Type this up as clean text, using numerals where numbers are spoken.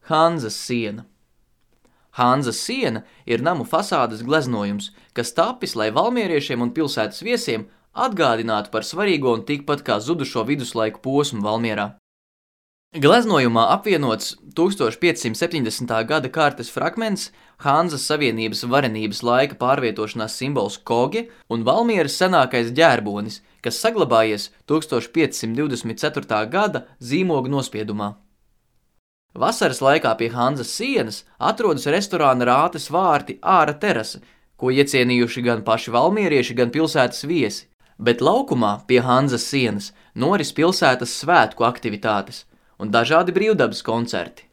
Hanzas siena. Hanzas siena ir namu fasādes gleznojums, kas tapis, lai valmieriešiem un pilsētas viesiem atgādinātu par svarīgo un tikpat kā zudušo viduslaiku posmu Valmierā. Gleznojumā apvienots 1570. gada kartes fragments, Hanzas Savienības varenības laika pārvietošanās simbols kogi un Valmieras senākais ģērbonis, kas saglabājies 1524. gada zīmogu nospiedumā. Vasaras laikā pie Hanzas sienas atrodas restorāna Rātes vārti āra terase, ko iecienījuši gan paši valmierieši, gan pilsētas viesi, bet laukumā pie Hanzas sienas noris pilsētas svētku aktivitātes un dažādi brīvdabas koncerti.